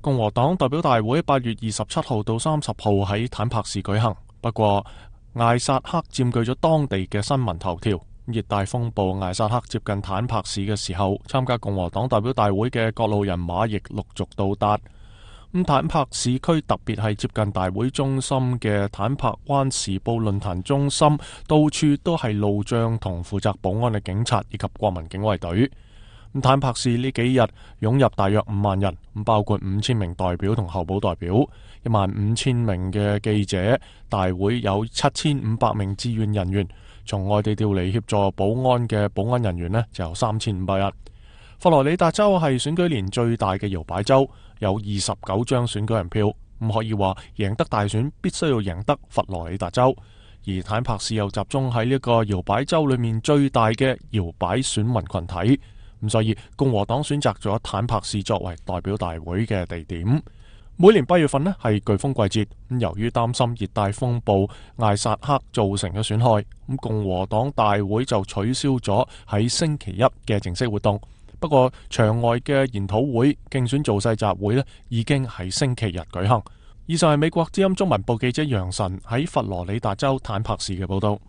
共和黨代表大會8月27號到30號喺坦帕市舉行，不過艾薩克佔據咗當地嘅新聞頭條。熱帶風暴艾薩克接近坦帕市嘅時候，參加共和黨代表大會嘅各路人馬亦陸續到達。坦帕市區特別係接近大會中心嘅坦帕灣時報論壇中心，到處都係路障同負責保安嘅警察以及國民警衛隊。坦帕市呢幾日湧入大約5萬人，包括5000名代表同候補代表，15000名嘅記者，大會有7500名志願人員，從外地調嚟協助保安嘅保安人員呢就有3500人。佛羅里達州係選舉年最大嘅搖擺州，有29張選舉人票，可以話贏得大選必須要贏得佛羅里達州，而坦帕市又集中喺呢個搖擺州裏面最大嘅搖擺選民群體。所以共和黨選擇咗坦帕市作為代表大會嘅地點。每年8月份呢係颶風季節，由於擔心熱帶風暴艾薩克造成嘅損害，共和黨大會就取消咗喺星期一嘅正式活動。不過場外嘅研討會、競選造勢集會呢已經喺星期日舉行。以上係美國之音中文部記者楊晨喺佛羅里達州坦帕市嘅報道。